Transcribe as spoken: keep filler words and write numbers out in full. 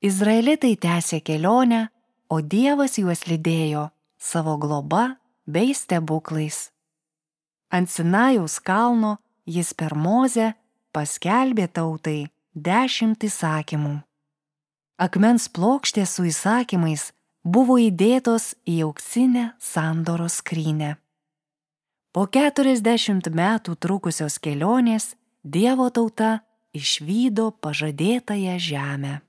Izraelitai tęsė kelionę, o Dievas juos lydėjo savo globa bei stebuklais. Ant Sinajaus kalno jis per Mozę paskelbė tautai dešimt įsakymų. Akmens plokštės su įsakymais buvo įdėtos į auksinę sandoros skrynią. Po keturiasdešimt metų trukusios kelionės Dievo tauta išvydo pažadėtąją žemę.